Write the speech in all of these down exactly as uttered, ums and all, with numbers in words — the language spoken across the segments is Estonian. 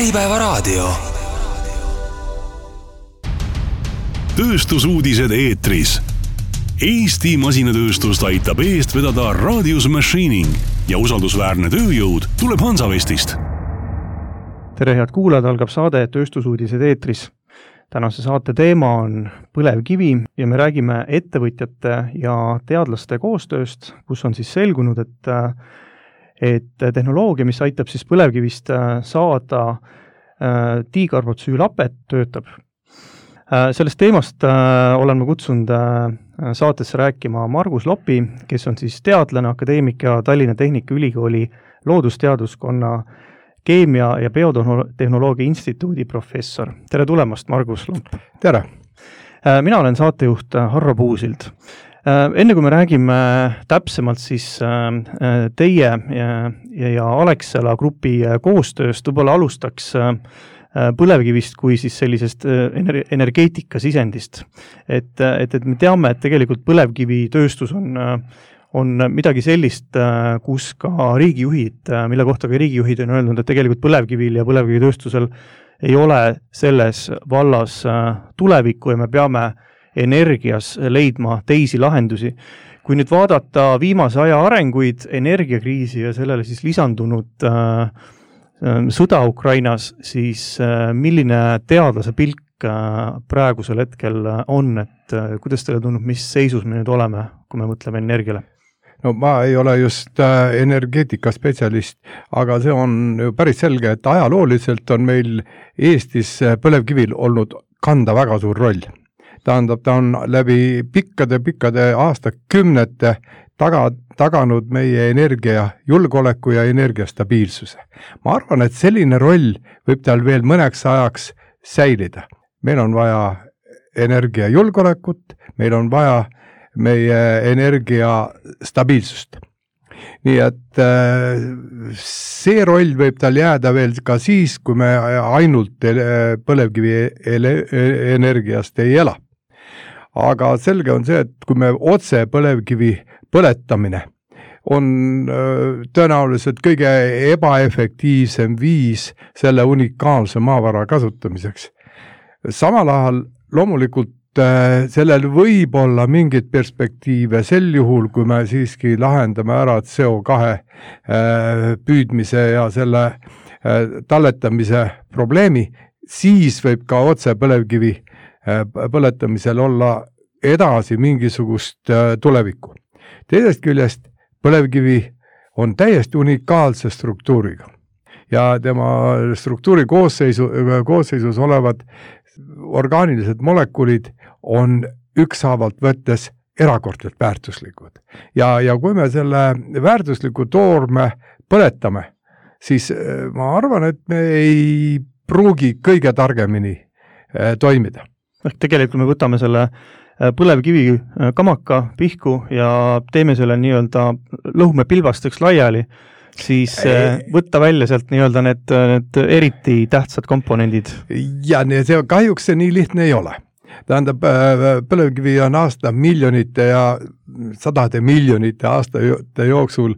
Äripäevaraadio. Tööstusuudised eetris. Eesti masinatööstust aitab eest vedada Radius Machining ja usaldusväärne tööjõud tuleb Hansavestist. Tere head kuulajad, algab saade Tööstusuudised eetris. Tänase saate teema on põlevkivi ja me räägime ettevõtjate ja teadlaste koostööst, kus on siis selgunud, et et tehnoloogia, mis aitab siis põlevkivist saada dikarbotsüülapet, töötab. Sellest teemast olen ma kutsunud saatesse rääkima Margus Lopi, kes on siis teadlane, akadeemik ja Tallinna Tehnikaülikooli loodusteaduskonna keemia- ja biotehnoloogia instituudi professor. Tere tulemast, Margus Lomp! Tere! Mina olen saatejuht Harro Puusild. Enne kui me räägime täpsemalt siis teie ja, ja Alexela grupi koostööst, võib-olla alustaks põlevkivist kui siis sellisest energeetika sisendist. Et, et, et me teame, et tegelikult põlevkivitööstus on, on midagi sellist, kus ka riigijuhid, mille kohta ka riigijuhid on öelnud, et tegelikult põlevkivil ja põlevkivitööstusel ei ole selles vallas tulevikku ja me peame energias leidma teisi lahendusi. Kui nüüd vaadata viimase aja arenguid, energiakriisi ja sellele siis lisandunud äh, sõda Ukrainas, siis äh, milline teadlase pilk äh, praegusel hetkel on, et äh, kuidas teile tundub, mis seisus me nüüd oleme, kui me mõtleme energiale? No ma ei ole just äh, energeetika spetsialist, aga see on ju päris selge, et ajalooliselt on meil Eestis põlevkivil olnud kanda väga suur roll. Tähendab, ta on läbi pikkade-pikkade aastakümnete taga, taganud meie energia julgeoleku ja energiastabiilsuse. Ma arvan, et selline roll võib tal veel mõneks ajaks säilida. Meil on vaja energiajulgeolekut, meil on vaja meie energiastabiilsust. Nii et see roll võib tal jääda veel ka siis, kui me ainult põlevkivi energiast ei ela. Aga selge on see, et kui me otse põlevkivi põletamine on tõenäoliselt kõige ebaefektiivsem viis selle unikaalse maavara kasutamiseks. Samal ajal loomulikult sellel võib olla mingid perspektiive sel juhul, kui me siiski lahendame ära C O kahe püüdmise ja selle talletamise probleemi, siis võib ka otse põlevkivi põletamisel olla edasi mingisugust tulevikku. Teisest küljest põlevkivi on täiesti unikaalse struktuuriga ja tema struktuuri koosseisu, koosseisus olevad orgaanilised molekulid on üksaavalt võttes erakordselt väärtuslikud. Ja, ja kui me selle väärtusliku toorme põletame, siis ma arvan, et me ei pruugi kõige targemini toimida. Tegelikult me võtame selle põlevkivi kamaka pihku ja teeme selle nii-öelda lõhume pilbasteks laiali, siis võtta välja sealt nii-öelda need, need eriti tähtsad komponendid. Ja see, kahjuks see nii lihtne ei ole. Tähendab, põlevkivi on aasta miljonite ja sadade miljonite aastate jooksul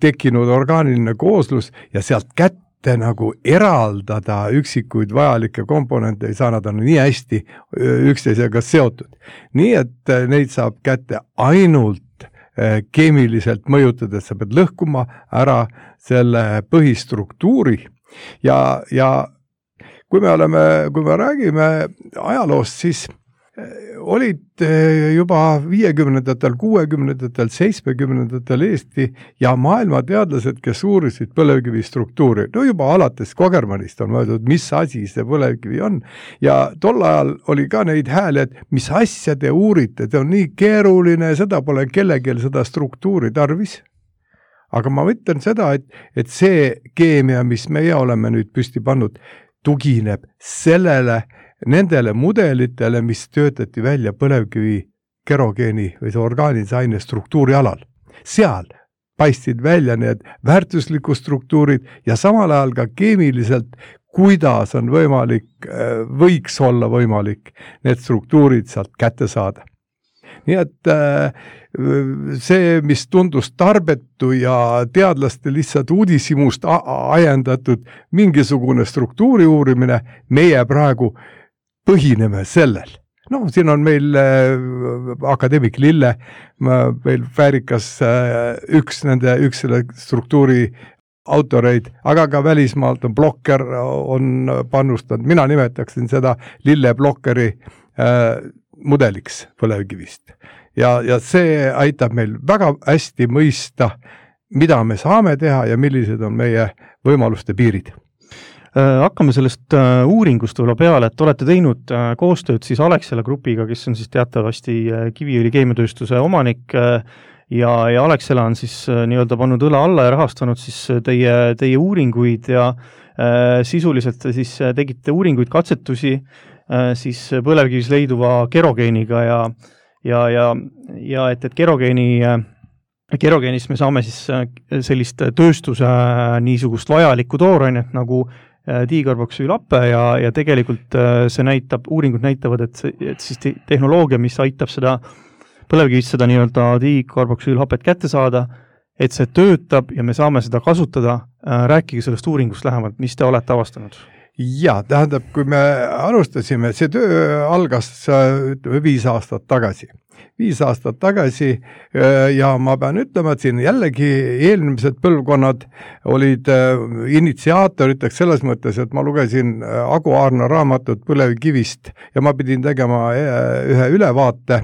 tekkinud orgaaniline kooslus ja sealt kätte nagu eraldada üksikuid vajalikke komponente ei saa, nad on nii hästi üksteisega seotud. Nii, et neid saab kätte ainult keemiliselt mõjutades, sa pead lõhkuma ära selle põhistruktuuri ja, ja kui me oleme, kui me räägime ajaloost, siis olid juba viiekümnendatel, kuuekümnendatel, seitsmekümnendatel Eesti ja maailma teadlased, kes uurisid põlevkivi struktuuri. No juba alates Kogermanist on mõeldud, mis asi see põlevkivi on. Ja tol ajal oli ka neid hääli, et mis asja te uurite, te on nii keeruline, seda pole kellelgi seda struktuuri tarvis. Aga ma mõtlen seda, et, et see keemia, mis meie oleme nüüd püsti pannud, tugineb sellele, nendele mudelitele, mis töötati välja põlevkivi kerogeeni või see orgaanilise aine struktuuri alal. Seal paistid välja need väärtuslikud struktuurid ja samal ajal ka keemiliselt, kuidas on võimalik, võiks olla võimalik need struktuurid sealt kätte saada. nii et see, mis tundus tarbetu ja teadlaste lihtsalt uudishimust ajendatud mingisugune struktuuri uurimine, meie praegu põhineme sellel. No siin on meil akadeemik Lille, meil väärikas üks nende, üks selle struktuuri autoreid, aga ka välismaalt on Blokker on panustanud, mina nimetaksin seda Lille Blokkeri äh, mudeliks põlevkivist. Ja, ja see aitab meil väga hästi mõista, mida me saame teha ja millised on meie võimaluste piirid. Hakkame sellest uuringust võib-olla peale, et olete teinud koostööd siis Alexela grupiga, kes on siis teatavasti Kiviõli keemiatööstuse omanik ja, ja Alexela on siis nii-öelda pannud õla alla ja rahastanud siis teie, teie uuringuid ja äh, sisuliselt siis tegite uuringuid, katsetusi äh, siis põlevkivis leiduva kerogeeniga ja, ja, ja, ja et, et kerogeeni äh, kerogeenist me saame siis sellist tööstuse niisugust vajalikku toorainet nagu diikarboksüülappe ja, ja tegelikult see näitab, uuringud näitavad, et, et siis te, tehnoloogia, mis aitab seda põlevkivist seda nii-öelda diikarboksüülhapet kätte saada, et see töötab ja me saame seda kasutada. Rääkige sellest uuringust lähemalt, mis te olete avastanud? Ja, tähendab, kui me alustasime, see töö algas viis aastat tagasi. Viis aastat tagasi ja ma pean ütlema, et siin jällegi eelmised põlvkonnad olid initsiaatoriteks selles mõttes, et ma lugesin Agu Aarna raamatut põlevkivist ja ma pidin tegema ühe ülevaate,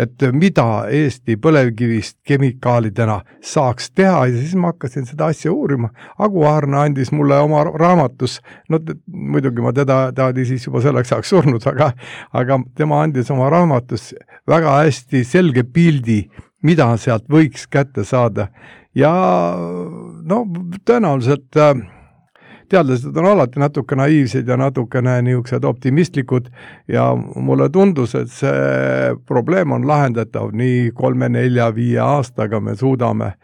et mida Eesti põlevkivist kemikaalidena saaks teha ja siis ma hakkasin seda asja uurima. Agu Aarna andis mulle oma raamatus, no muidugi ma teda, ta oli siis juba selleks ajaks surnud, aga, aga tema andis oma raamatus väga hästi selge pildi, mida sealt võiks kätte saada. Ja no tõenäoliselt teadlased on alati natuke naiivsed ja natukene niisugused optimistlikud ja mulle tundus, et see probleem on lahendatav nii kolme, nelja, viie aastaga me suudame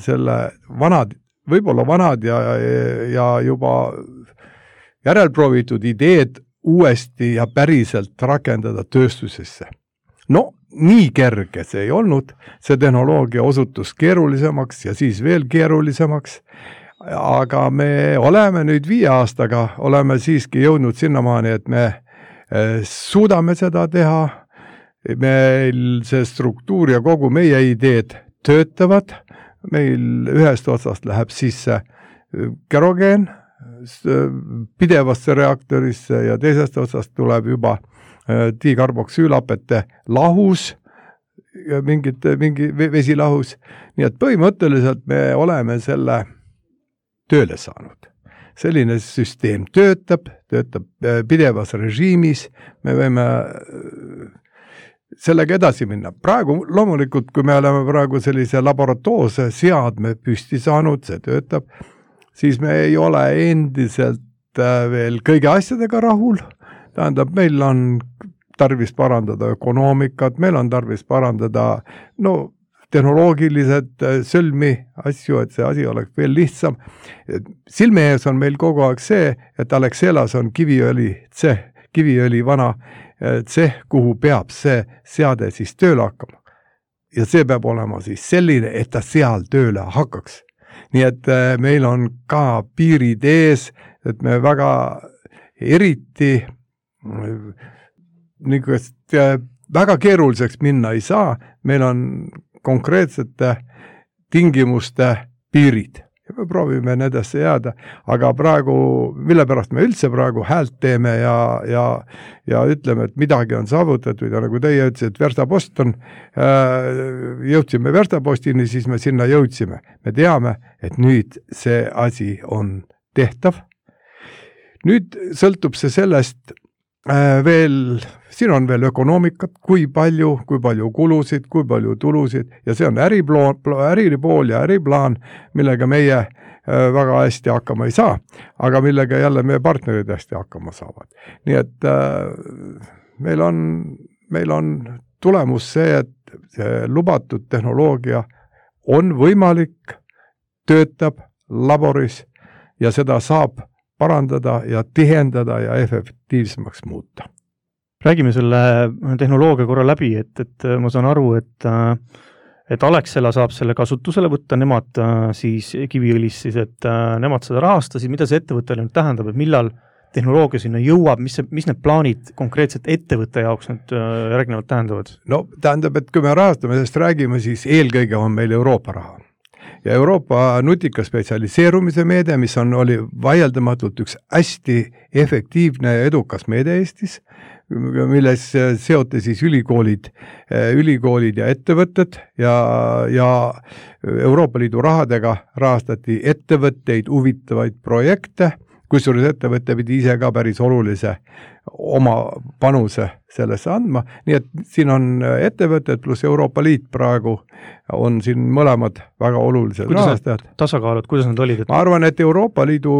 selle vanad, võib-olla vanad ja, ja juba järelproovitud ideed uuesti ja päriselt rakendada tööstusesse. No, nii kerge see ei olnud, see tehnoloogia osutus keerulisemaks ja siis veel keerulisemaks, aga me oleme nüüd viie aastaga, oleme siiski jõudnud sinnamaani, et me suudame seda teha, meil see struktuur ja kogu meie ideed töötavad, meil ühest otsast läheb sisse kerogeen pidevasse reaktorisse ja teisest otsast tuleb juba diikarboksüülapete lahus, mingit, mingi vesilahus, nii et põhimõtteliselt me oleme selle tööle saanud. Selline süsteem töötab, töötab pidevas režiimis, me võime sellega edasi minna. Praegu loomulikult, kui me oleme praegu sellise laboratoorse seadme püsti saanud, see töötab, siis me ei ole endiselt veel kõige asjadega rahul. Tähendab, meil on tarvis parandada ökonoomikat, meil on tarvis parandada no, tehnoloogilised sõlmi asju, et see asi oleks veel lihtsam. Silme ees on meil kogu aeg see, et Alexelas on kiviõli, tseh, kiviõli vana tseh, kuhu peab see seade siis tööle hakkama. Ja see peab olema siis selline, et ta seal tööle hakkaks. Nii et meil on ka piirid ees, et me väga eriti niisugust väga keeruliseks minna ei saa, meil on konkreetsete tingimuste piirid ja me proovime nendesse jääda, aga praegu, mille pärast me üldse praegu häält teeme ja, ja, ja ütleme, et midagi on saavutatud ja nagu teie ütlesid, et Verstapost on, jõudsime Verstapostini, siis me sinna jõudsime. Me teame, et nüüd see asi on tehtav. Nüüd sõltub see sellest veel, siin on veel ökonoomikat, kui palju, kui palju kulusid, kui palju tulusid ja see on äriploon, äripool ja äriplaan, millega meie väga hästi hakkama ei saa, aga millega jälle meie partnerid hästi hakkama saavad. Nii et meil on, meil on tulemus see, et see lubatud tehnoloogia on võimalik, töötab laboris ja seda saab parandada ja tihendada ja efektiivsemaks muuta. Räägime selle tehnoloogia korra läbi, et, et ma saan aru, et, et Alexela saab selle kasutusele võtta, nemad siis Kiviõlis siis, et nemad seda rahastasid, mida see ettevõttele nüüd tähendab, et millal tehnoloogia sinna jõuab, mis, mis need plaanid konkreetselt ettevõtte jaoks nüüd järgnevalt tähendavad? No tähendab, et kui me rahastamisest räägime, siis eelkõige on meil Euroopa raha. Ja Euroopa nutika spetsialiseerumise meede, mis on, oli vaieldamatult üks hästi efektiivne ja edukas meede Eestis, milles seoti siis ülikoolid, ülikoolid ja ettevõtted ja, ja Euroopa Liidu rahadega rahastati ettevõtteid huvitavaid projekte, kusjuures ettevõtte pidi ise ka päris olulise oma panuse sellesse andma, nii et siin on ettevõtted pluss Euroopa Liit praegu on siin mõlemad väga olulised rahastajad. Tasakaalud, kuidas nad olid? Ma arvan, et Euroopa Liidu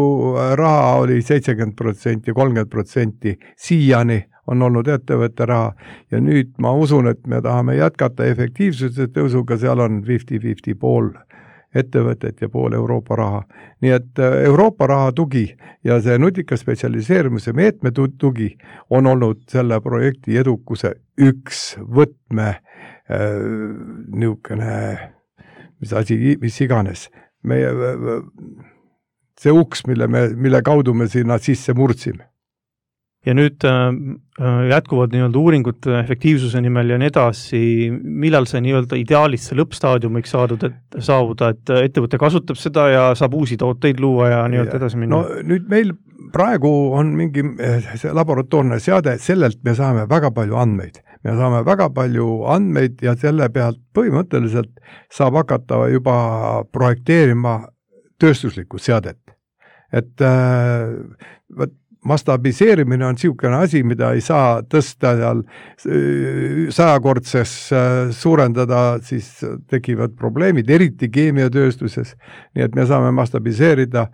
raha oli seitsekümmend protsenti, kolmkümmend protsenti siiani on olnud ettevõtte raha ja nüüd ma usun, et me tahame jätkata efektiivsuse tõusuga, seal on viiskümmend viiskümmend pool ettevõtet ja pool Euroopa raha. Nii et Euroopa raha tugi ja see nutika spetsialiseerimise meetme tugi on olnud selle projekti edukuse üks võtme äh, niisugune, mis asi, mis iganes. Meie, see uks, mille, me, mille kaudu me sinna sisse murdsime. Ja nüüd äh, jätkuvad nii-öelda uuringud efektiivsuse nimel ja nii edasi, millal see nii-öelda ideaalist see lõppstaadiumiks saadud, et saavuda, et ettevõte kasutab seda ja saab uusi tooteid luua ja nii-öelda edasi minna? No nüüd meil praegu on mingi see laboratoorne seade, sellelt me saame väga palju andmeid. Me saame väga palju andmeid ja selle pealt põhimõtteliselt saab hakata juba projekteerima tööstuslikku seadet. Et äh, mastabiseerimine on niisugune asi, mida ei saa tõsta seal sajakordses suurendada, siis tekivad probleemid, eriti keemiatööstuses. Nii et me saame mastabiseerida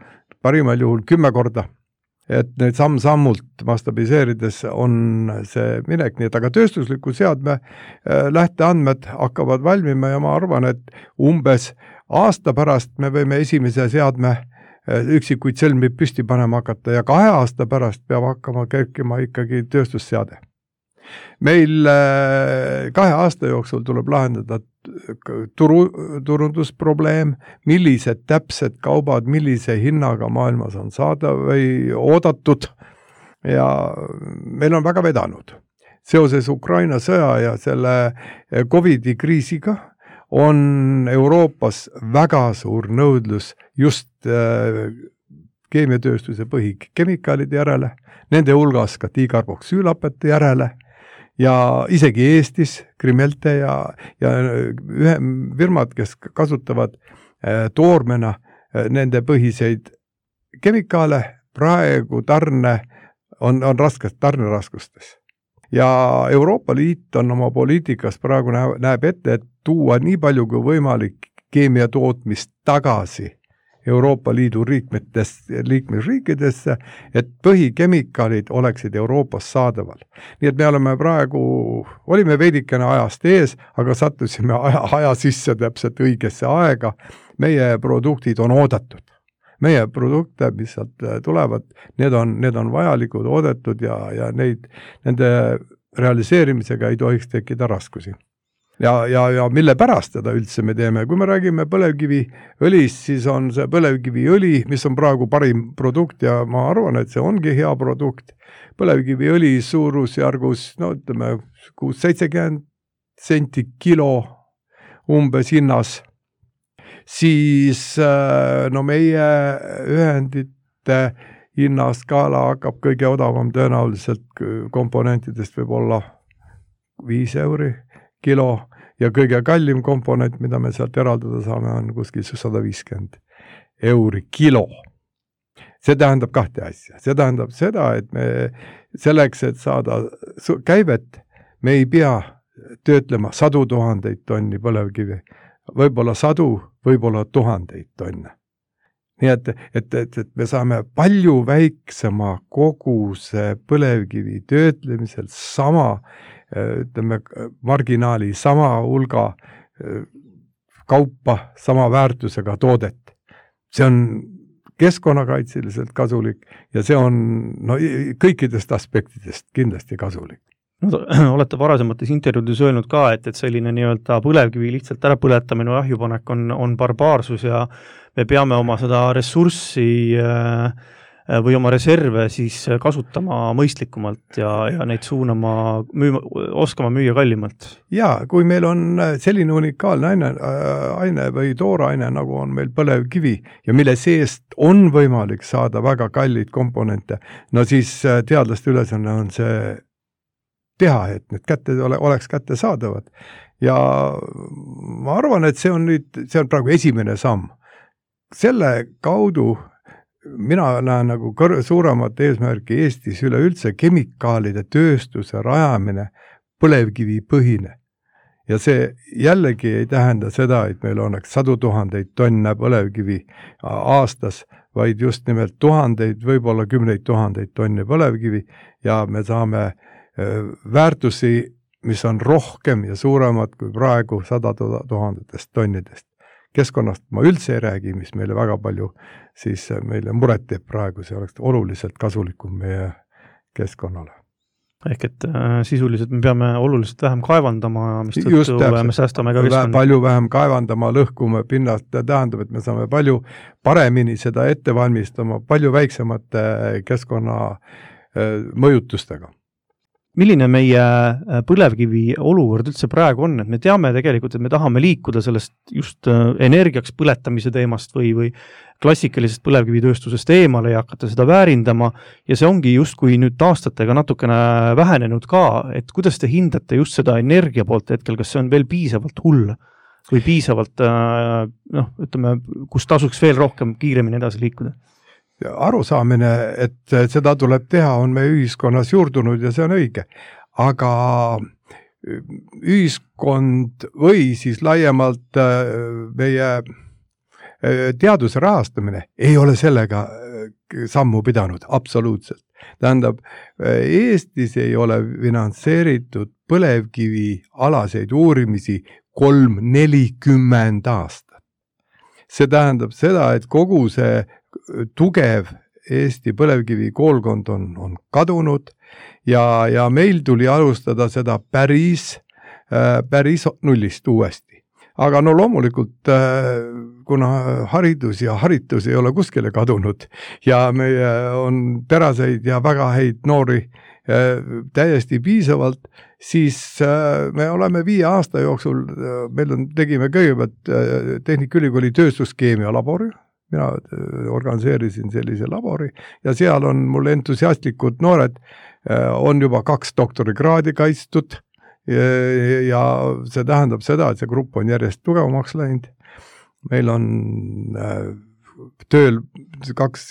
parimal juhul kümme korda. Et need samm-sammult mastabiseerides on see minek, nii et aga tööstusliku seadme lähteandmed hakkavad valmima ja ma arvan, et umbes aasta pärast me võime esimese seadme üksikuid sõlmi püsti panema hakata ja kahe aasta pärast peab hakkama kerkima ikkagi tööstusseade. Meil kahe aasta jooksul tuleb lahendada turu, turundusprobleem, millised täpsed kaubad, millise hinnaga maailmas on saada või oodatud ja meil on väga vedanud. Seoses Ukraina sõja ja selle Covidi kriisiga on Euroopas väga suur nõudlus just äh, keemiatööstuse põhikemikaalide järele, nende hulgas ka dikarboksüülapete järele ja isegi Eestis Krimelte ja, ja ühe firmad, kes kasutavad äh, toormena äh, nende põhiseid kemikaale, praegu tarne on, on raskes, tarneraskustes. Ja Euroopa Liit on oma poliitikas praegu näeb ette, et tuua nii palju kui võimalik keemiatootmist tagasi Euroopa Liidu liikmesriikidesse, et põhikemikaalid oleksid Euroopas saadaval. Nii et me oleme praegu, olime veidikene ajast ees, aga sattusime aja, aja sisse täpselt õigesse aega. Meie produktid on oodatud. Meie produkte, mis sealt tulevad, need on, need on vajalikud, oodatud ja, ja neid, nende realiseerimisega ei tohiks tekkida raskusi. Ja, ja, ja mille pärast seda üldse me teeme? Kui me räägime põlevkivi õlist, siis on see põlevkivi õli, mis on praegu parim produkt ja ma arvan, et see ongi hea produkt. Põlevkivi õli suurusjärgus, no ütleme, kuus seitsekümmend senti kilo umbes hinnas. Siis no meie ühendite hinnaskaala hakkab kõige odavam tõenäoliselt komponentidest võib olla viis euri kilo ja kõige kallim komponent, mida me sealt eraldada saame, on kuskil sada viiskümmend euri kilo. See tähendab kahte asja. See tähendab seda, et me selleks, et saada käivet, me ei pea töötlema sadu tuhandeid tonni põlevkivi, võib-olla sadu, võib-olla tuhandeid tonne. Nii et, et, et, et me saame palju väiksema koguse põlevkivi töötlemisel sama ütleme, marginaali, sama hulga kaupa, sama väärtusega toodet. See on keskkonnakaitseliselt kasulik ja see on no, kõikidest aspektidest kindlasti kasulik. no, olete varasemates intervjuudes öelnud ka, et, et selline nii-öelda põlevkivi lihtsalt ära põletamine või ahjupanek on, on barbaarsus ja me peame oma seda ressurssi äh, või oma reserve siis kasutama mõistlikumalt ja, ja neid suunama, müüma, oskama müüa kallimalt. Jaa, kui meil on selline unikaalne aine, aine või tooraine, nagu on meil põlevkivi ja mille seest on võimalik saada väga kallid komponente, no siis teadlaste ülesanne on see teha, et need kätte ole, oleks kätte saadavad. Ja ma arvan, et see on nüüd, see on praegu esimene samm. Selle kaudu mina näen nagu kõr- suuremat eesmärki Eestis üleüldse kemikaalide tööstuse rajamine põlevkivi põhine. Ja see jällegi ei tähenda seda, et meil oleks sadu tuhandeid tonne põlevkivi aastas, vaid just nimelt tuhandeid, võib-olla kümneid tuhandeid tonni põlevkivi ja me saame väärtusi, mis on rohkem ja suuremad kui praegu sada tuhandetest tonnidest. Keskkonnast ma üldse ei räägi, mis meile väga palju siis meile muret teeb praegu, see oleks oluliselt kasulikum meie keskkonnale. Ehk et äh, sisuliselt me peame oluliselt vähem kaevandama, mis tõttu me säästame ka keskkonna. Palju vähem kaevandama, lõhkume pinnast, tähendab, et me saame palju paremini seda ette valmistama, palju väiksemate keskkonna äh, mõjutustega. Milline meie põlevkivi olukord üldse praegu on, et me teame tegelikult, et me tahame liikuda sellest just energiaks põletamise teemast või, või klassikalisest põlevkivitööstusest eemale ja hakata seda väärindama ja see ongi just kui nüüd aastatega natukene vähenenud ka, et kuidas te hindate just seda energia poolt hetkel, kas see on veel piisavalt hull või piisavalt, noh, ütleme, kus tasuks veel rohkem kiiremini edasi liikuda? Arusaamine, et seda tuleb teha, on meie ühiskonnas juurdunud ja see on õige. Aga ühiskond või siis laiemalt meie teaduse rahastamine ei ole sellega sammu pidanud, absoluutselt. Tähendab, Eestis ei ole finantseeritud põlevkivi alaseid uurimisi kolm nelikümmend aastat. See tähendab seda, et kogu see tugev Eesti põlevkivi koolkond on, on kadunud ja, ja meil tuli alustada seda päris, päris nullist uuesti. Aga no loomulikult, kuna haridus ja haritus ei ole kuskile kadunud ja meie on teraseid ja väga häid noori täiesti piisavalt, siis me oleme viie aasta jooksul, meil on, tegime kõigepealt Tehnikaülikooli tööstuskeemia labori, mina organiseerisin sellise labori ja seal on mul entusiastlikud noored, on juba kaks doktorikraadi kaitstud ja see tähendab seda, et see grupp on järjest tugevamaks läinud. Meil on tööl kaks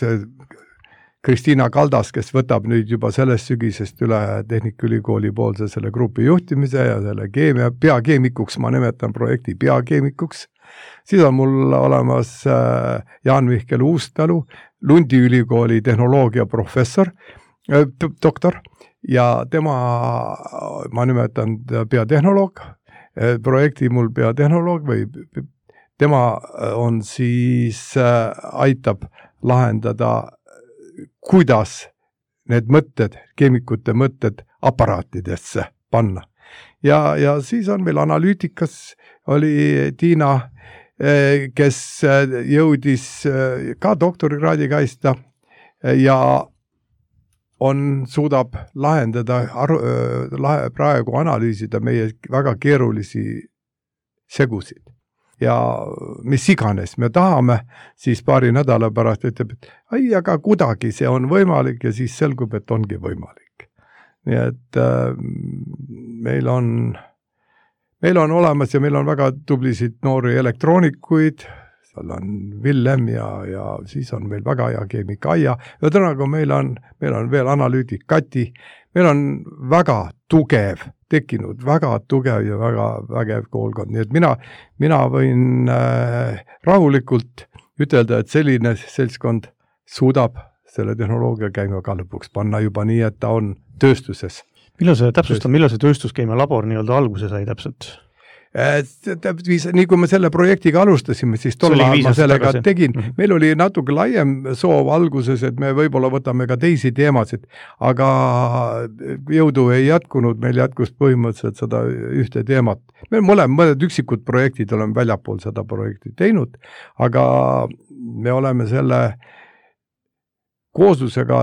Kristiina Kaldas, kes võtab nüüd juba sellest sügisest üle Tehnikaülikooli poolse selle grupi juhtimise ja selle keemia peakeemikuks, ma nimetan projekti peakeemikuks. Siis on mul olemas Jaan-Mihkel Uustalu, Lundi ülikooli tehnoloogia professor, doktor, ja tema, ma nimetan peatehnoloog, projekti mul peatehnoloog või tema on siis, aitab lahendada, kuidas need mõtted, keemikute mõtted aparaatidesse panna. Ja, ja siis on meil analüütikas, oli Tiina, kes jõudis ka doktorikraadi kaista ja on, suudab lahendada, praegu analüüsida meie väga keerulisi segusid. Ja mis iganes me tahame, siis paari nädala pärast ütleb, et ai, aga kuidagi see on võimalik ja siis selgub, et ongi võimalik. Nii et äh, meil on meil on olemas ja meil on väga tublisid noori elektroonikuid, seal on Villem ja, ja siis on meil väga hea keemik Aija, ja tõenäoliselt meil on, meil on veel analüütik Kati, meil on väga tugev, tekkinud väga tugev ja väga vägev koolkond, nii et mina, mina võin äh, rahulikult ütelda, et selline seltskond suudab selle tehnoloogia käima ka lõpuks panna juba nii, et ta on tööstuses. Millal see täpsustab, millal see tööstuskeemia labor nii-öelda alguse sai täpselt? nii kui me selle projektiga alustasime, siis tol ajal ma sellega tagasi. tegin. Meil oli natuke laiem soov alguses, et me võib-olla võtame ka teisi teemasid, aga jõudu ei jätkunud, meil jätkus põhimõtteliselt seda ühte teemat. Me mõlem, mõned üksikud projektid oleme väljapool seda projekti teinud, aga me oleme selle kooslusega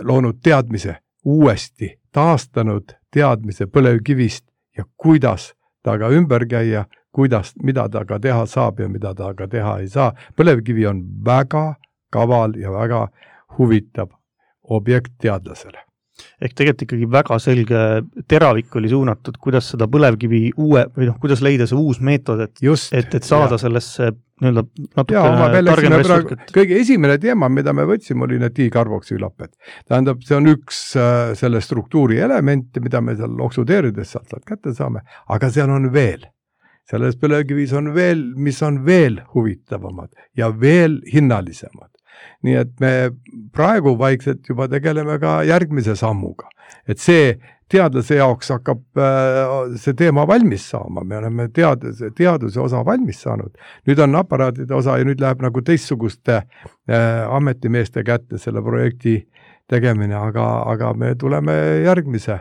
loonud teadmise uuesti, taastanud teadmise põlevkivist ja kuidas ta ka ümber käia, kuidas, mida ta ka teha saab ja mida ta ka teha ei saa. Põlevkivi on väga kaval ja väga huvitav objekt teadlasele. Ehk tegelikult ikkagi väga selge teravik oli suunatud, kuidas seda põlevkivi uue, või noh, kuidas leida see uus meetod, et, Just, et, et saada ja. sellesse nii-öelda natuke targem ressurk. Kõige esimene teema, mida me võtsime, oli need dikarboksüülapped. Tähendab, see on üks äh, selle struktuuri elemente, mida me seal oksudeerides sealt kätte saame, aga seal on veel. Selles põlevkivis on veel, mis on veel huvitavamad ja veel hinnalisemad. Nii et me praegu vaikselt juba tegeleme ka järgmise sammuga. Et see teadlase jaoks hakkab see teema valmis saama. Me oleme teaduse, teaduse osa valmis saanud. Nüüd on aparaatide osa ja nüüd läheb nagu teistsuguste ametimeeste kätte selle projekti tegemine, aga, aga me tuleme järgmise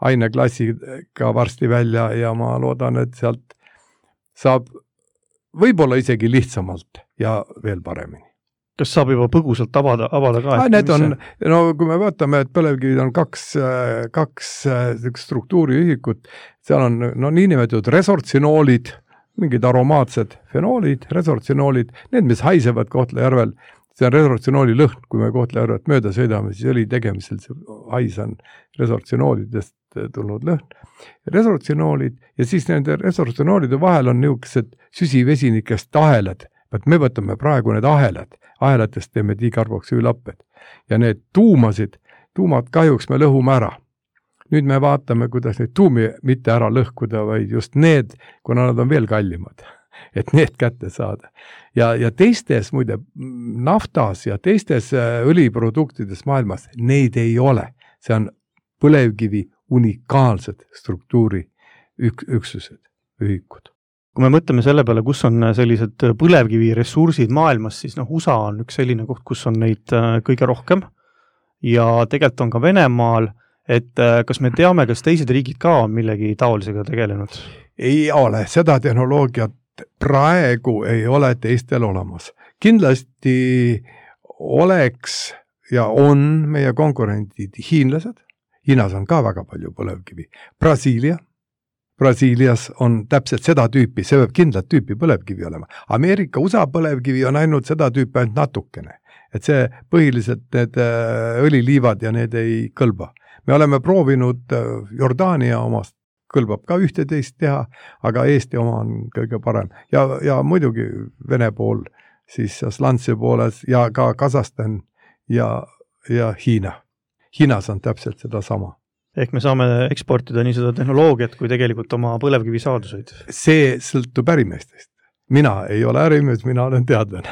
aineklassiga varsti välja ja ma loodan, et sealt saab võib-olla isegi lihtsamalt ja veel paremini. Kas saab juba põgusalt avada, avada ka? Ah, need on, no kui me vaatame, et põlevkivid on kaks, kaks struktuuriühikut, seal on no, niinimetatud resortsinoolid, mingid aromaatsed fenoolid, resortsinoolid, need, mis haisevad Kohtla-Järvel, see on resortsinooli lõhn, kui me Kohtla-Järvet mööda sõidame, siis oli tegemisel, see hais on resortsinoolidest tulnud lõhn. Resortsinoolid ja siis nende resortsinoolide vahel on niisugused süsivesinikest ahelad, et me võtame praegu need ahelad, ahelatest teeme dikarboksüülapped ja need tuumasid, tuumad kahjuks me lõhume ära. Nüüd me vaatame, kuidas neid tuumi mitte ära lõhkuda, vaid just need, kuna nad on veel kallimad, et need kätte saada. Ja, ja teistes, muide, naftas ja teistes õliproduktides maailmas neid ei ole. See on põlevkivi unikaalsed struktuuri ük- üksused, ühikud. Kui me mõtleme selle peale, kus on sellised põlevkivi ressursid maailmas, siis noh, U S A on üks selline koht, kus on neid kõige rohkem ja tegelikult on ka Venemaal, et kas me teame, kas teised riigid ka on millegi taolisega tegelenud? Ei ole, seda tehnoloogiat praegu ei ole teistel olemas. Kindlasti oleks ja on meie konkurendid hiinlased, Hiinas on ka väga palju põlevkivi, Brasiilia, Brasiilias on täpselt seda tüüpi, see võib kindlat tüüpi põlevkivi olema. Ameerika, U S A põlevkivi on ainult seda tüüpi ainult natukene. Et see põhiliselt need õliliivad ja need ei kõlba. Me oleme proovinud Jordaania omast, kõlbab ka ühteteist teha, aga Eesti oma on kõige parem. Ja, ja muidugi Vene pool, siis Slantse pooles ja ka Kasahstan ja, ja Hiina. Hiinas on täpselt seda sama. Ehk me saame eksportida nii seda tehnoloogiat kui tegelikult oma põlevkivi saaduseid. See sõltub ärimeestest. Mina ei ole ärimees, mina olen teadlane.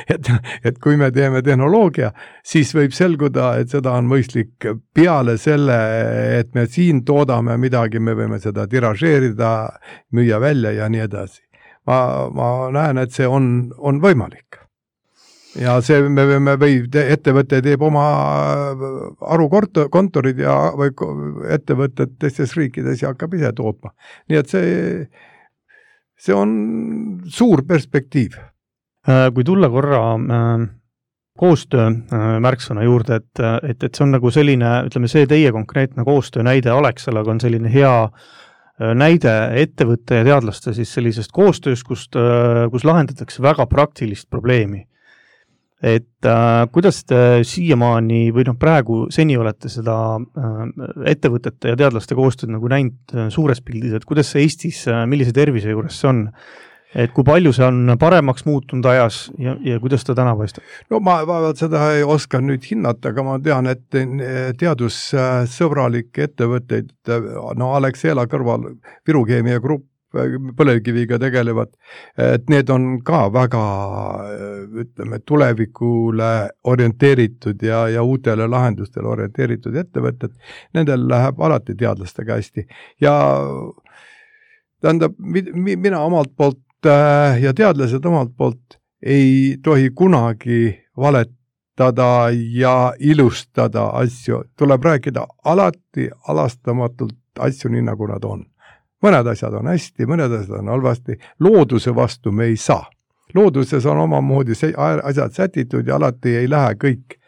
et, et kui me teeme tehnoloogia, siis võib selguda, et seda on mõistlik peale selle, et me siin toodame midagi, me võime seda tiražeerida, müüa välja ja nii edasi. Ma, ma näen, et see on, on võimalik. Ja see me võime või ettevõte teeb oma arukontorid ja või ettevõtted teistes riikides ja hakkab ise tootma. Nii et see, see on suur perspektiiv. Kui tulla korra koostöö märksõna juurde, et, et, et see on nagu selline, ütleme see teie konkreetne koostöö näide Alexelaga on selline hea näide ettevõtte ja teadlaste siis sellisest koostöös, kust, kus lahendatakse väga praktilist probleemi. Et äh, kuidas te siiamaani või noh praegu seni olete seda äh, ettevõtete ja teadlaste koostööd nagu näinud äh, suures pildis, et kuidas see Eestis, äh, millise tervise juures see on, et kui palju see on paremaks muutunud ajas ja, ja kuidas ta täna paistab? No ma vaevalt seda ei oska nüüd hinnata, aga ma tean, et teadussõbralik ettevõtteid, no Alexela kõrval Viru Keemia Grupp põlevkiviga tegelevad, et need on ka väga, ütleme, tulevikule orienteeritud ja, ja uutele lahendustele orienteeritud ettevõtted, nendel läheb alati teadlastega hästi. Ja tähendab, mina omalt poolt äh, ja teadlased omalt poolt ei tohi kunagi valetada ja ilustada asju. Tuleb rääkida alati alastamatult asju nii, nagu nad on. Mõned asjad on hästi, mõned asjad on halvasti. Looduse vastu me ei saa. Looduses on omamoodi asjad sätitud ja alati ei lähe kõik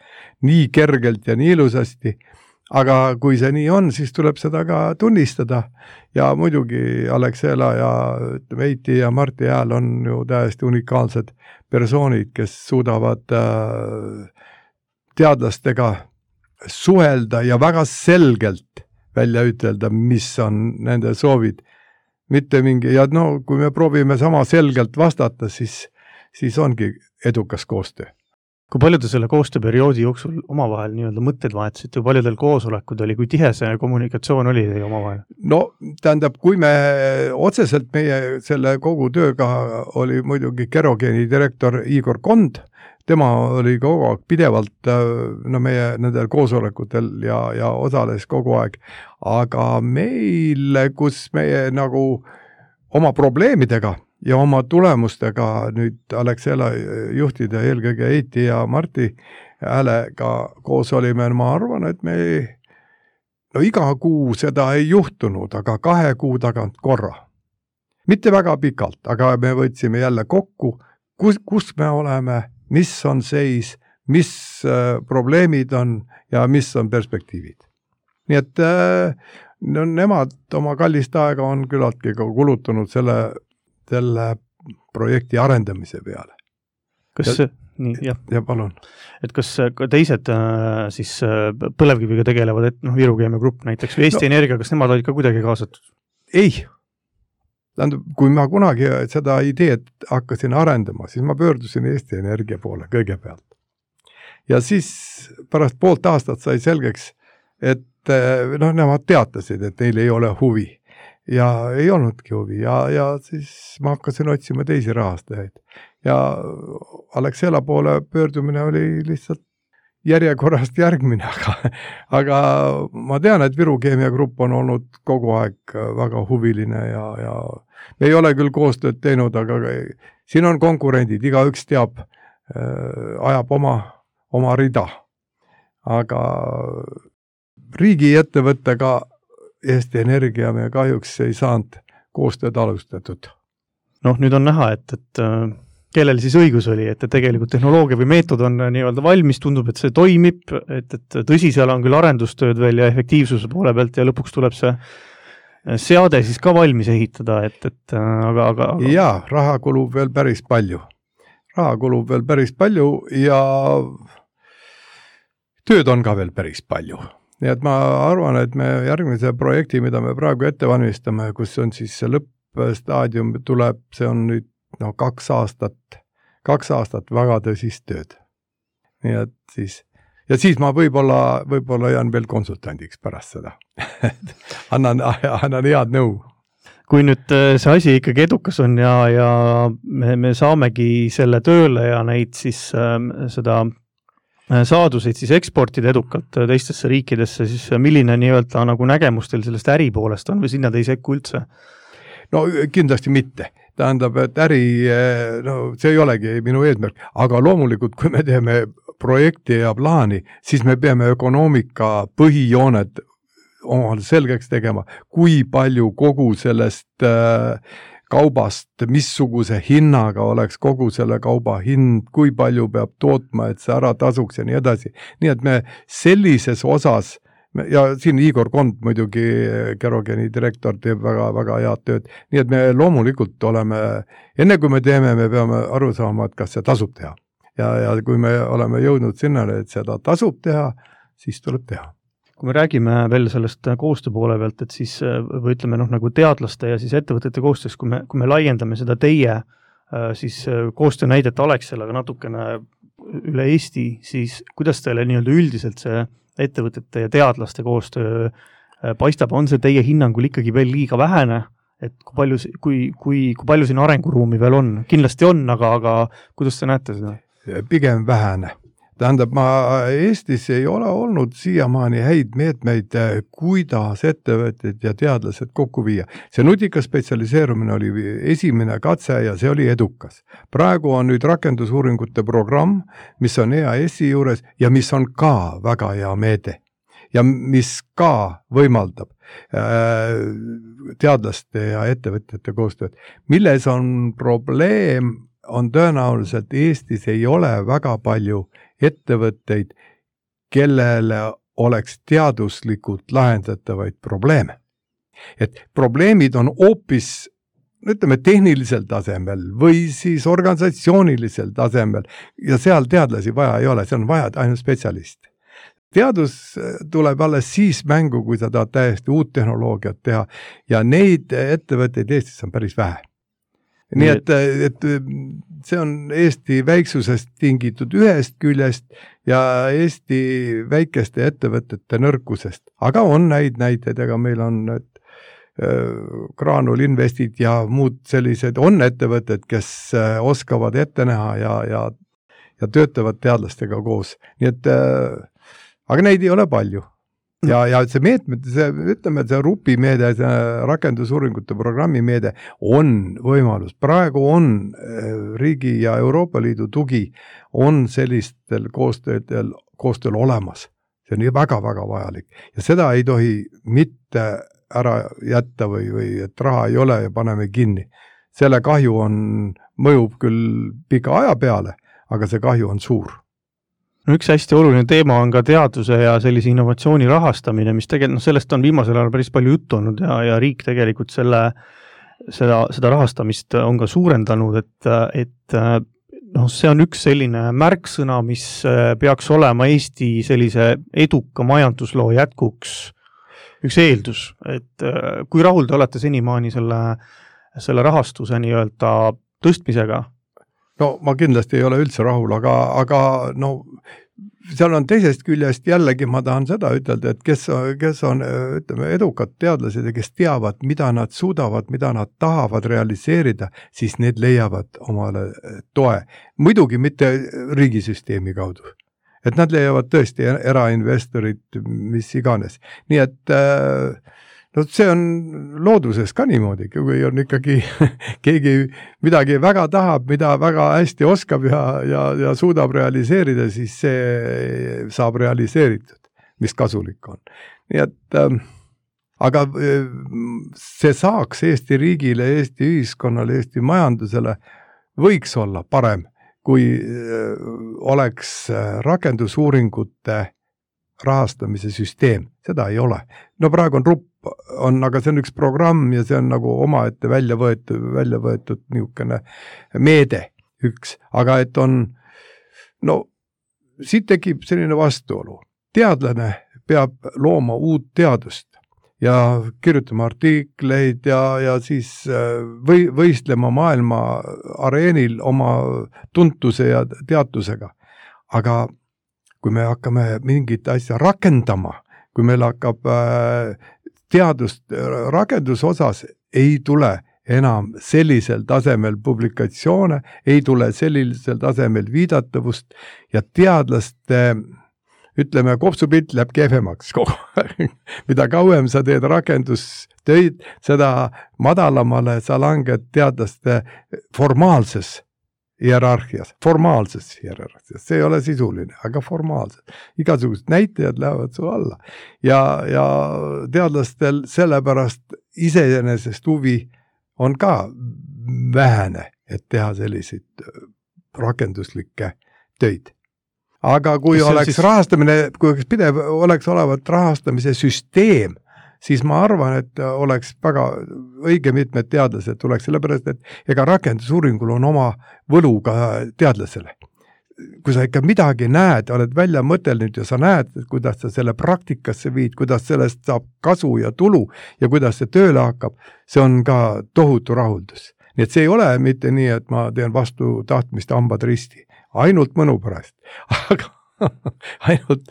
nii kergelt ja nii ilusasti. Aga kui see nii on, siis tuleb seda ka tunnistada. Ja muidugi Alexela ja Veiti ja Marti Hääl on ju täiesti unikaalsed persoonid, kes suudavad teadlastega suhelda ja väga selgelt välja ütelda, mis on nende soovid. Mitte mingi, ja no, kui me proovime sama selgelt vastata, siis, siis ongi edukas koostöö. Kui palju te selle koostööperioodi jooksul omavahel nii-öelda mõtted vahetasite, kui palju teil koosolekud oli, kui tihe see kommunikatsioon oli teie omavahel? No, tähendab, kui me otseselt meie selle kogu tööga oli muidugi Kerogeeni direktor Igor Kond, tema oli kogu aeg pidevalt no, meie nendel koosolekutel ja, ja osales kogu aeg, aga meil, kus meie nagu oma probleemidega ja oma tulemustega nüüd Alexela juhtida eelkõige Eiti ja Marti Häälega koos olime, ma arvan, et me no iga kuu seda ei juhtunud, aga kahe kuu tagant korra. Mitte väga pikalt, aga me võtsime jälle kokku, kus, kus me oleme, mis on seis, mis äh, probleemid on ja mis on perspektiivid. Nii et äh, no, nemad oma kallist aega on küllaltki kulutunud selle selle projekti arendamise peale. Kas ja, nii, jah. Ja palun. Et kas ka teised siis põlevkiviga tegelevad, et noh, Viru Keemia Grupp näiteks või Eesti no, Energia, kas nemad olid ka kuidagi kaasatud? Ei. Tähendab, kui ma kunagi seda ideed hakkasin arendama, siis ma pöördusin Eesti Energia poole kõigepealt. Ja siis pärast poolt aastat sai selgeks, et noh, nemad teatasid, et neil ei ole huvi. Ja ei olnudki huvi ja, ja siis ma hakkasin otsima teisi rahastajaid. Ja Alexela poole pöördumine oli lihtsalt järjekorrast järgmine, aga, aga ma tean, et Viru Keemia Grupp on olnud kogu aeg väga huviline ja, ja me ei ole küll koostööd teinud, aga siin on konkurendid, iga üks teab, äh, ajab oma, oma rida. Aga riigi ettevõttega Eesti Energia me kahjuks ei saanud koostööd alustatud. Noh, nüüd on näha, et, et kellel siis õigus oli, et tegelikult tehnoloogia või meetod on nii-öelda valmis, tundub, et see toimib, et, et tõsi, seal on küll arendustööd veel ja efektiivsuse poole pealt ja lõpuks tuleb see seade siis ka valmis ehitada, et, et aga, aga, aga... Jaa, raha kulub veel päris palju. Raha kulub veel päris palju ja tööd on ka veel päris palju. Nii et ma arvan, et me järgmise projekti, mida me praegu ette valmistame, kus on siis see lõppstaadium tuleb, see on nüüd no, kaks aastat, kaks aastat väga tõsist tööd. Nii et siis, ja siis ma võib-olla, võib-olla jään veel konsultandiks pärast seda. annan, annan head nõu. Kui nüüd see asi ikkagi edukas on ja, ja me, me saamegi selle tööle ja neid siis äh, seda saaduseid siis eksportida edukalt teistesse riikidesse, siis milline nii-öelda nagu nägemus teil sellest äri poolest on või sinna te ei sekku üldse? No kindlasti mitte. Tähendab, et äri, no see ei olegi minu eesmärk, aga loomulikult, kui me teeme projekti ja plaani, siis me peame ökonoomika põhijooned omale selgeks tegema, kui palju kogu sellest äh, kaubast, missuguse hinnaga oleks kogu selle kauba hind, kui palju peab tootma, et see ära tasuks ja nii edasi. Nii et me sellises osas, ja siin Igor Kond muidugi, Kerogeeni direktor, teeb väga, väga head tööd, nii et me loomulikult oleme, enne kui me teeme, me peame aru saama, et kas see tasub teha. Ja, ja kui me oleme jõudnud sinnale, et seda tasub teha, siis tuleb teha. Kui me räägime veel sellest koostöö poole pealt, et siis või ütleme noh, nagu teadlaste ja siis ettevõtete koostöös, kui me, kui me laiendame seda teie siis koostöö näidet Alexelaga natukene üle Eesti, siis kuidas teile nii-öelda üldiselt see ettevõtete ja teadlaste koostöö paistab, on see teie hinnangul ikkagi veel liiga vähene, et kui palju, kui, kui, kui palju siin arenguruumi veel on? Kindlasti on, aga, aga kuidas te näete seda? Pigem vähene. Tähendab, ma Eestis ei ole olnud siiamaani häid meetmeid, kuidas ettevõtted ja teadlased kokku viia. See nutika spetsialiseerumine oli esimene katse ja see oli edukas. Praegu on nüüd rakendusuuringute programm, mis on E A S-i juures ja mis on ka väga hea meede ja mis ka võimaldab teadlaste ja ettevõtjate koostööd. Milles on probleem, on tõenäoliselt Eestis ei ole väga palju ettevõtteid, kellele oleks teaduslikult lahendatavaid probleeme. Et probleemid on hoopis, ütleme, tehnilisel tasemel või siis organisatsioonilisel tasemel ja seal teadlasi vaja ei ole, see on vaja ainult spetsialist. Teadus tuleb alles siis mängu, kui sa tahad täiesti uut tehnoloogiat teha ja neid ettevõtteid Eestis on päris vähe. Nii et, et see on Eesti väiksusest tingitud ühest küljest ja Eesti väikeste ettevõtete nõrkusest. Aga on näid näiteid, ega meil on need Graanul Investid ja muud sellised on ettevõtted, kes oskavad ette näha ja, ja, ja töötavad teadlastega koos. Nii et aga neid ei ole palju. Ja, ja see meetmed, see, ütleme, see RUPI meede, see rakendusuuringute programmi meede on võimalus. Praegu on riigi ja Euroopa Liidu tugi on sellistel koostöödel, koostööl olemas. See on väga-väga vajalik. Ja seda ei tohi mitte ära jätta või, või et raha ei ole ja paneme kinni. Selle kahju on, mõjub küll pika aja peale, aga see kahju on suur. Üks hästi oluline teema on ka teaduse ja sellise innovatsiooni rahastamine, mis tegelikult, no sellest on viimasel ajal päris palju juttu olnud ja, ja riik tegelikult selle, seda, seda rahastamist on ka suurendanud, et, et no, see on üks selline märksõna, mis peaks olema Eesti sellise eduka majandusloo jätkuks üks eeldus, et kui rahul te olete senimaani selle, selle rahastuse nii-öelda tõstmisega? No ma kindlasti ei ole üldse rahul, aga, aga no, seal on teisest küljest jällegi ma tahan seda ütelda, et kes, kes on ütleme, edukad teadlased ja kes teavad, mida nad suudavad, mida nad tahavad realiseerida, siis need leiavad omale toe. Muidugi mitte riigisüsteemi kaudu. Et nad leiavad tõesti erainvestorid, mis iganes. Nii et no see on looduses ka niimoodi, kui on ikkagi keegi midagi väga tahab, mida väga hästi oskab ja, ja, ja suudab realiseerida, siis see saab realiseeritud, mis kasulik on. Nii et, äh, aga see saaks Eesti riigile, Eesti ühiskonnale, Eesti majandusele võiks olla parem, kui äh, oleks rakendusuuringute rahastamise süsteem. Seda ei ole. No praegu on RUP, on, aga see on üks programm ja see on nagu omaette välja võetud, välja võetud niisugune meede üks. Aga et on, no siit tekib selline vastuolu. Teadlane peab looma uut teadust ja kirjutama artikleid ja, ja siis või, võistlema maailma areenil oma tuntuse ja teadtusega. Aga kui me hakkame mingit asja rakendama, kui meil hakkab teadust rakendusosas, ei tule enam sellisel tasemel publikatsioone, ei tule sellisel tasemel viidatavust ja teadlaste, ütleme, kopsupilt läheb kehvemaks kogu aeg. Mida kauem sa teed rakendustöid, seda madalamale sa langed teadlaste formaalses hierarhias, formaalses hierarhias, see ei ole sisuline, aga formaalses. Igasugused näitajad lähevad su alla. Ja, ja teadlastel sellepärast iseenesest huvi on ka vähene, et teha selliseid rakenduslikke töid. Aga kui Kas oleks siis... rahastamine, kui oleks pidev, oleks olevat rahastamise süsteem, siis ma arvan, et oleks väga õige mitmed teadlased tuleks, sellepärast, et ega rakendusuuringul on oma võlu ka teadlasele. Kui sa ikka midagi näed, oled välja mõtelnud ja sa näed, kuidas sa selle praktikasse viid, kuidas sellest saab kasu ja tulu ja kuidas see tööle hakkab, see on ka tohutu rahuldus. Nii et see ei ole mitte nii, et ma teen vastu tahtmist hambad risti. Ainult mõnu pärast. Aga ainult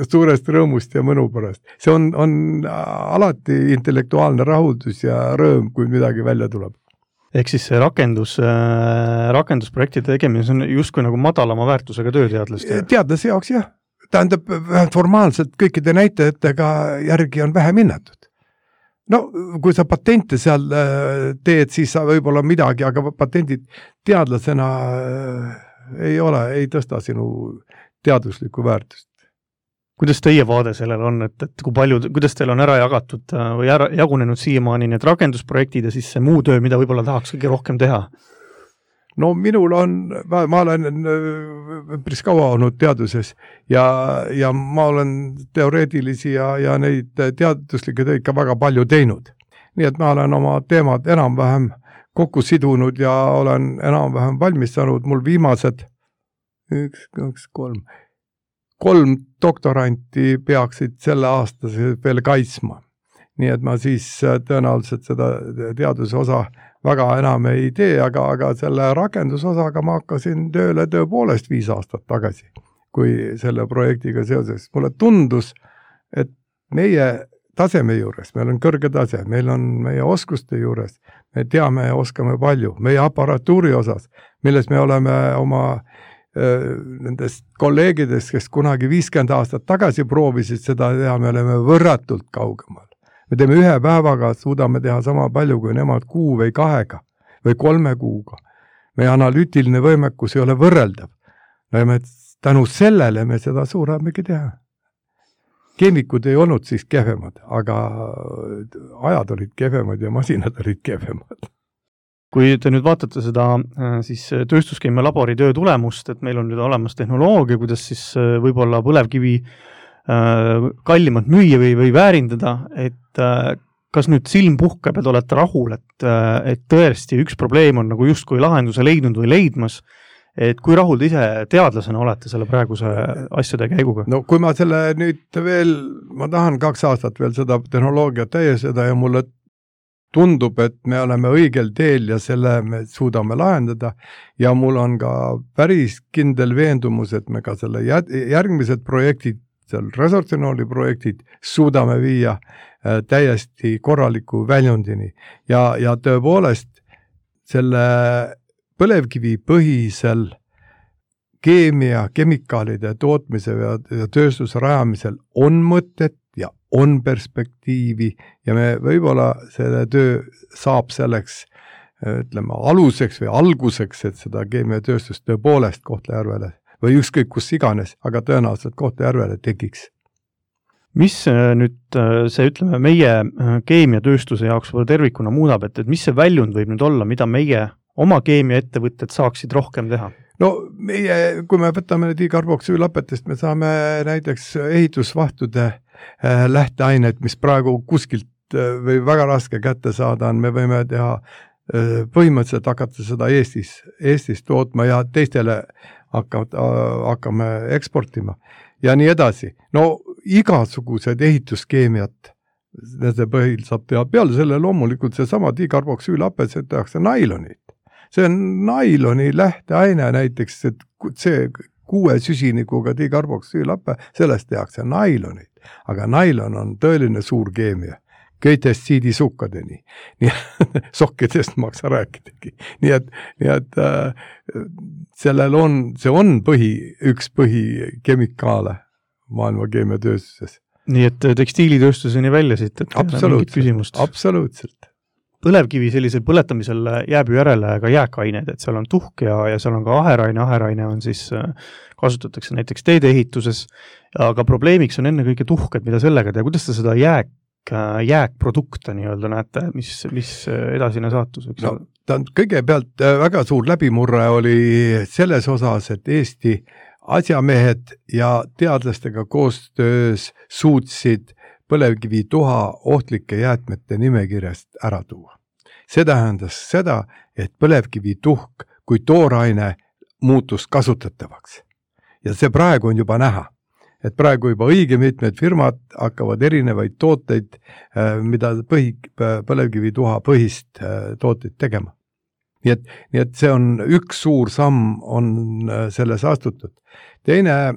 suurest rõõmust ja mõnu pärast. See on, on alati intellektuaalne rahuldus ja rõõm, kui midagi välja tuleb. Ehk siis see rakendus, rakendusprojektide tegemine, see on justkui nagu madalama väärtusega tööteadlaste. Teadlase jaoks jah. Tähendab, formaalselt kõikide näitajatega järgi on vähe minnatud. No, kui sa patente seal teed, siis sa võib-olla midagi, aga patendid teadlasena ei ole, ei tõsta sinu teaduslikku väärtust. Kuidas teie vaade sellel on, et, et kui palju, kuidas teil on ära jagatud või ära, jagunenud siiamaani need rakendusprojektid ja siis see muu töö, mida võib-olla tahaks kõige rohkem teha? No minul on, ma, ma olen päris kaua olnud teaduses ja, ja ma olen teoreetilisi ja, ja neid teaduslikke töid ka väga palju teinud. Nii et ma olen oma teemad enam-vähem kokku sidunud ja olen enam-vähem valmis saanud. Mul viimased üks, kaks, kolm, kolm doktoranti peaksid selle aasta veel kaitsma. Nii et ma siis tõenäoliselt seda teaduse osa väga enam ei tee, aga, aga selle rakendusosaga ma hakkasin tööle tõepoolest viis aastat tagasi, kui selle projektiga seoses. Mulle tundus, et meie taseme juures, meil on kõrge tase, meil on meie oskuste juures, me teame ja oskame palju, meie aparatuuri osas, milles me oleme oma äh, nendest kolleegidest, kes kunagi viiskümmend aastat tagasi proovisid seda teha, me oleme võrratult kaugemal. Me teeme ühe päevaga, suudame teha sama palju kui nemad kuu või kahega või kolme kuuga. Meie analüütiline võimekus ei ole võrreldav. No ja me tänu sellele me seda suuremegi teha. Keemikud ei olnud siis kehvemad, aga ajad olid kehvemad ja masinad olid kehvemad. Kui te nüüd vaatate seda siis tööstuskeemia labori töö tulemust, et meil on nüüd olemas tehnoloogia, kuidas siis võib-olla põlevkivi kallimalt müüa või, või väärindada, et kas nüüd silm puhkeb, et olete rahul, et, et tõesti üks probleem on nagu justkui lahenduse leidnud või leidmas, et kui rahul te ise teadlasena olete selle praeguse asjade käiguga? No kui ma selle nüüd veel, ma tahan kaks aastat veel seda tehnoloogiat täieseda ja mulle tundub, et me oleme õigel teel ja selle me suudame lahendada ja mul on ka päris kindel veendumus, et me ka selle järgmised projektid seal resortinooli projektid suudame viia äh, täiesti korraliku väljundini ja, ja tõepoolest selle põlevkivi põhisel keemia, kemikaalide tootmise ja, ja tööstuse rajamisel on mõtet ja on perspektiivi ja me võib-olla selle töö saab selleks ütleme aluseks või alguseks, et seda keemiatööstust tõepoolest Kohtla-Järvele või ükskõik kus iganes, aga tõenäoliselt Kohtla-Järvele tekiks. Mis nüüd see, ütleme, meie keemiatööstuse jaoks või tervikuna muudab, et, et mis see väljund võib nüüd olla, mida meie oma keemiaettevõtted saaksid rohkem teha? No meie, kui me võtame dikarboksüülapetest, me saame näiteks ehitusvahtude lähteainet, mis praegu kuskilt või väga raske kätte saada on, me võime teha põhimõtteliselt hakata seda Eestis, Eestis tootma ja teistele hakkavad, hakkame eksportima ja nii edasi. No igasugused ehituskeemiat nende põhil saab teha. Peale selle loomulikult see sama dikarboksüülapet, see tehakse nailonit. See on nailoni lähteaine näiteks, et see kuue süsinikuga dikarboksüülape, sellest tehakse nailonit. Aga nailon on tõeline suur keemia. Köitest siidisukkadeni. Nii, sokkidest maksa rääkidagi. Nii et, nii et äh, sellel on, see on põhi, üks põhikemikaale maailma keemiatööstuses. Nii et tekstiilitööstuseni välja siit, et absoluutselt, absoluutselt. Põlevkivi sellisel põletamisel jääb ju järele ka jääkained, et seal on tuhk ja, ja seal on ka aheraine, aheraine on siis, kasutatakse näiteks teedeehituses, aga probleemiks on enne kõige tuhked, mida sellega teha, kuidas ta seda jääk jääkprodukte nii-öelda näete, mis, mis edasine saatus võiks no, ta on kõigepealt väga suur läbimurre oli selles osas, et Eesti asjamehed ja teadlastega koostöös suutsid põlevkivi tuha ohtlike jäätmete nimekirjast ära tuua. See tähendas seda, et põlevkivi tuhk kui tooraine muutus kasutatavaks. Ja see praegu on juba näha. Et praegu juba õige mitmed firmad hakkavad erinevaid tooteid, mida põhi, põlevkivi tuha põhist tooteid tegema. Nii et, nii et see on üks suur samm on selles astutud. Teine,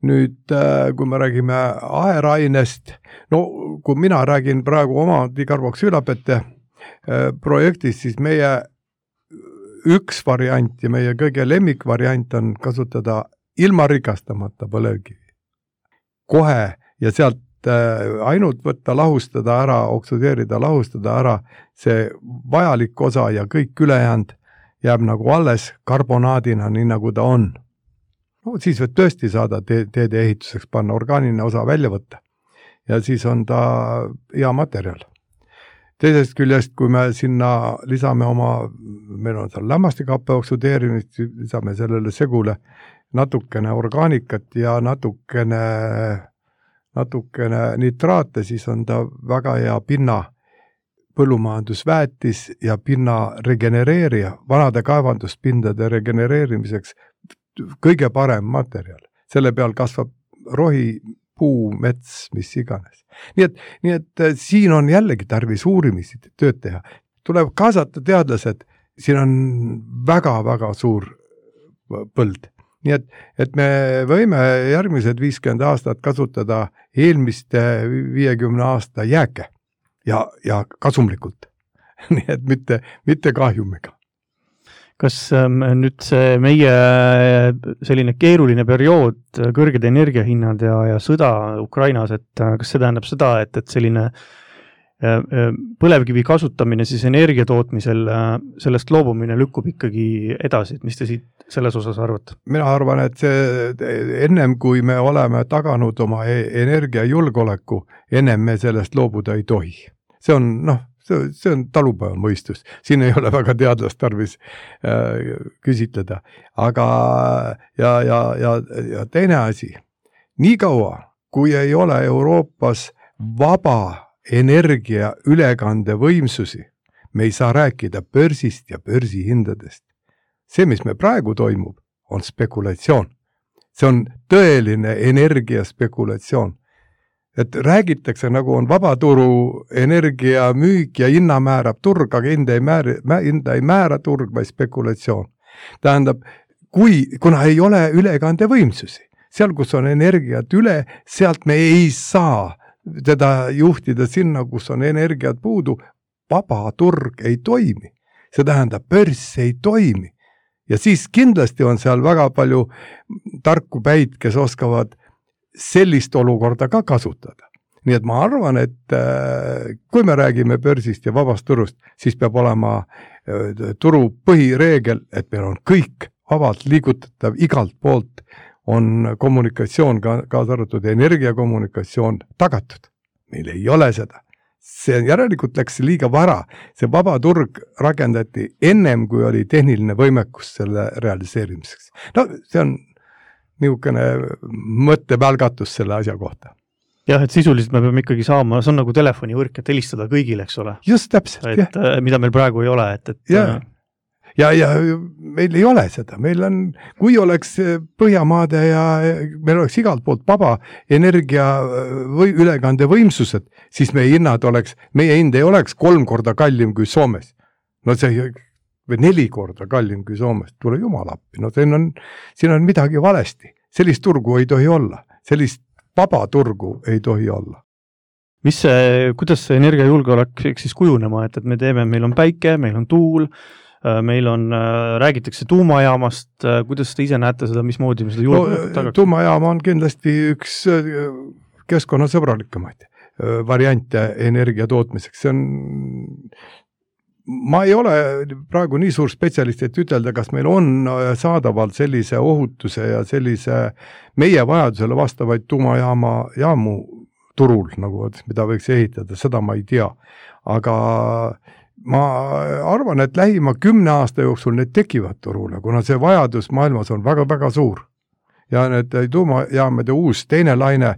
nüüd kui me räägime aherainest, no kui mina räägin praegu oma dikarboksüülapete projektist, siis meie üks variant ja meie kõige lemmikvariant on kasutada ilma rikastamata põlevkivi. Kohe ja sealt ainult võtta, lahustada ära, oksudeerida, lahustada ära see vajalik osa ja kõik ülejäänud jääb nagu alles karbonaadina, nii nagu ta on. No siis võid tõesti saada te- teede ehituseks panna, orgaaniline osa välja võtta ja siis on ta hea materjal. Teisest küljest, kui me sinna lisame oma, meil on seal lämmastikappe oksudeerimist, lisame sellele segule natukene orgaanikat ja natukene natukene nitraate, siis on ta väga hea pinna põllumajandusväetis ja pinna regenereerija, vanade kaevanduspindade regenereerimiseks kõige parem materjal. Selle peal kasvab rohi, puu, mets, mis iganes. Nii et, nii et siin on jällegi tarvis uurimisi tööd teha. Tuleb kaasata teadlased, siin on väga-väga suur põld. Nii et, et me võime järgmised viiskümmend aastat kasutada eelmiste viiekümne aasta jääke ja, ja kasumlikult. Nii et mitte, mitte kahjumiga. Kas ähm, nüüd see meie selline keeruline periood, kõrged energiahinnad ja, ja sõda Ukrainas, et kas see tähendab seda, et, et selline põlevkivi kasutamine siis energia tootmisel, sellest loobumine lükkub ikkagi edasi, et mis te siit selles osas arvate? Mina arvan, et see ennem kui me oleme taganud oma energiajulgeoleku, ennem me sellest loobuda ei tohi. See on, noh, see, see on talupäeva mõistus. Siin ei ole väga teadlast tarvis äh, küsitleda. Aga ja, ja, ja, ja teine asi, nii kaua, kui ei ole Euroopas vaba energia ülekande võimsusi, me ei saa rääkida börsist ja börsihindadest. See, mis me praegu toimub, on spekulatsioon. See on tõeline energiaspekulatsioon. Et räägitakse, nagu on vabaturu energia müük ja hinna määrab turg, aga hinda ei määra, hinda ei määra turg, vaid spekulatsioon. Tähendab, kui, kuna ei ole ülekande võimsusi, seal, kus on energiat üle, sealt me ei saa teda juhtida sinna, kus on energiat puudu, vaba turg ei toimi. See tähendab, börs ei toimi. Ja siis kindlasti on seal väga palju tarku päid, kes oskavad sellist olukorda ka kasutada. Nii et ma arvan, et kui me räägime börsist ja vabast turust, siis peab olema turu põhireegel, et meil on kõik vabalt liigutatav igalt poolt, on kommunikatsioon, kaasa arvatud energiakommunikatsioon tagatud. Meil ei ole seda. See järelikult läks liiga vara. See vaba turg rakendati ennem, kui oli tehniline võimekus selle realiseerimiseks. No see on niisugune mõttepälgatus selle asja kohta. Jah, et sisuliselt me peame ikkagi saama, see on nagu telefonivõrk, et helistada kõigile, eks ole. Just täpselt, et, jah. Mida meil praegu ei ole, et, et ja. Ja, ja meil ei ole seda, meil on, kui oleks Põhjamaade ja meil oleks igalt poolt vaba energia või ülekande võimsused, siis meie hinnad oleks, meie hind ei oleks kolm korda kallim kui Soomes. No see või neli korda kallim kui Soomes, tule jumal appi, no siin on, siin on midagi valesti. Sellist turgu ei tohi olla, sellist vaba turgu ei tohi olla. Mis see, kuidas see energiajulgeolek siis kujunema, et, et me teeme, meil on päike, meil on tuul, meil on, räägitakse tuumajaamast, kuidas te ise näete seda, mismoodi me seda julgeolekut tagaks? No, tuumajaama on kindlasti üks keskkonnasõbralikemaid variante energia tootmiseks. See on, ma ei ole praegu nii suur spetsialist, et ütelda, kas meil on saadavalt sellise ohutuse ja sellise meie vajadusele vastavaid tuumajaama jaamu turul, nagu, mida võiks ehitada, seda ma ei tea. Aga ma arvan, et lähima kümne aasta jooksul need tekivad turule, kuna see vajadus maailmas on väga-väga suur. Ja need tuumajaamade uus teine laine,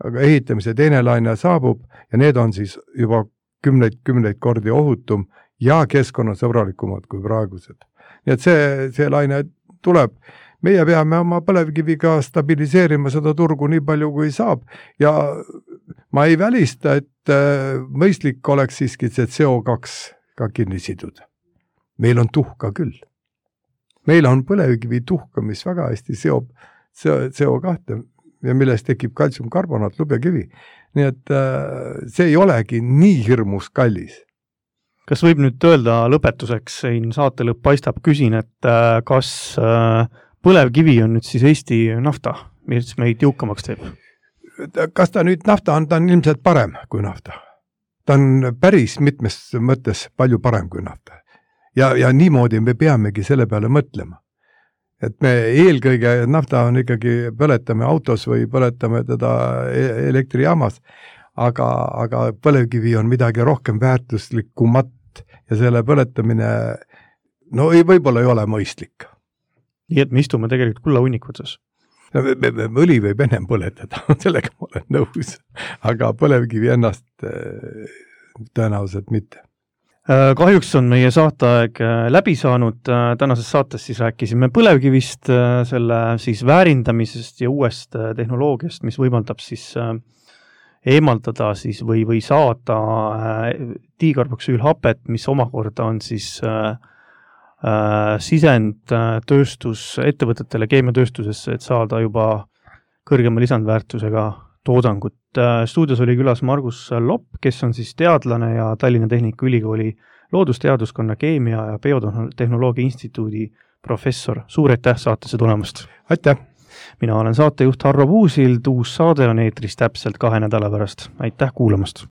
ehitamise teine laine saabub ja need on siis juba kümneid, kümneid kordi ohutum ja keskkonnasõbralikumad kui praegused. Nii et see, see laine tuleb. Meie peame oma põlevkiviga stabiliseerima seda turgu nii palju kui saab ja ma ei välista, et mõistlik oleks siiski see C O kaks ka kinni siduda. Meil on tuhka küll. Meil on põlevkivi tuhka, mis väga hästi seob C O kahte ja millest tekib kaltsiumkarbonaat, lubjakivi. Nii et see ei olegi nii hirmus kallis. kas võib nüüd öelda lõpetuseks, siin saate lõpp paistab, küsin, et kas põlevkivi on nüüd siis Eesti nafta, mis meid jõukamaks teeb? Kas ta nüüd nafta on, ta on ilmselt parem kui nafta. Ta on päris mitmes mõttes palju parem kui nafta. Ja, ja niimoodi me peamegi selle peale mõtlema. Et me eelkõige nafta on ikkagi põletame autos või põletame teda elektrijaamas, aga, aga põlevkivi on midagi rohkem väärtuslikumat ja selle põletamine no ei, võib-olla ei ole mõistlik. Nii et me istume tegelikult kulla hunnikvuses. Õli võib ennem põletada, sellega ma olen nõus, aga põlevkivi ennast tõenäoliselt mitte. Kahjuks on meie saateaeg läbi saanud, tänases saates siis rääkisime põlevkivist, selle siis väärindamisest ja uuest tehnoloogiast, mis võimaldab siis eemaldada siis või, või saada diikarboksüülhapet, mis omakorda on siis sisend tööstus ettevõtetele keemiatööstusesse, et saada juba kõrgema lisandväärtusega toodangut. Stuudios oli külas Margus Lopp, kes on siis teadlane ja Tallinna Tehnikaülikooli loodusteaduskonna keemia ja biotehnoloogia instituudi professor. Suur aitäh saatesse tulemast! Aitäh! Mina olen saatejuht Harro Puusild, uus saade on eetris täpselt kahe nädala pärast. Aitäh kuulamast!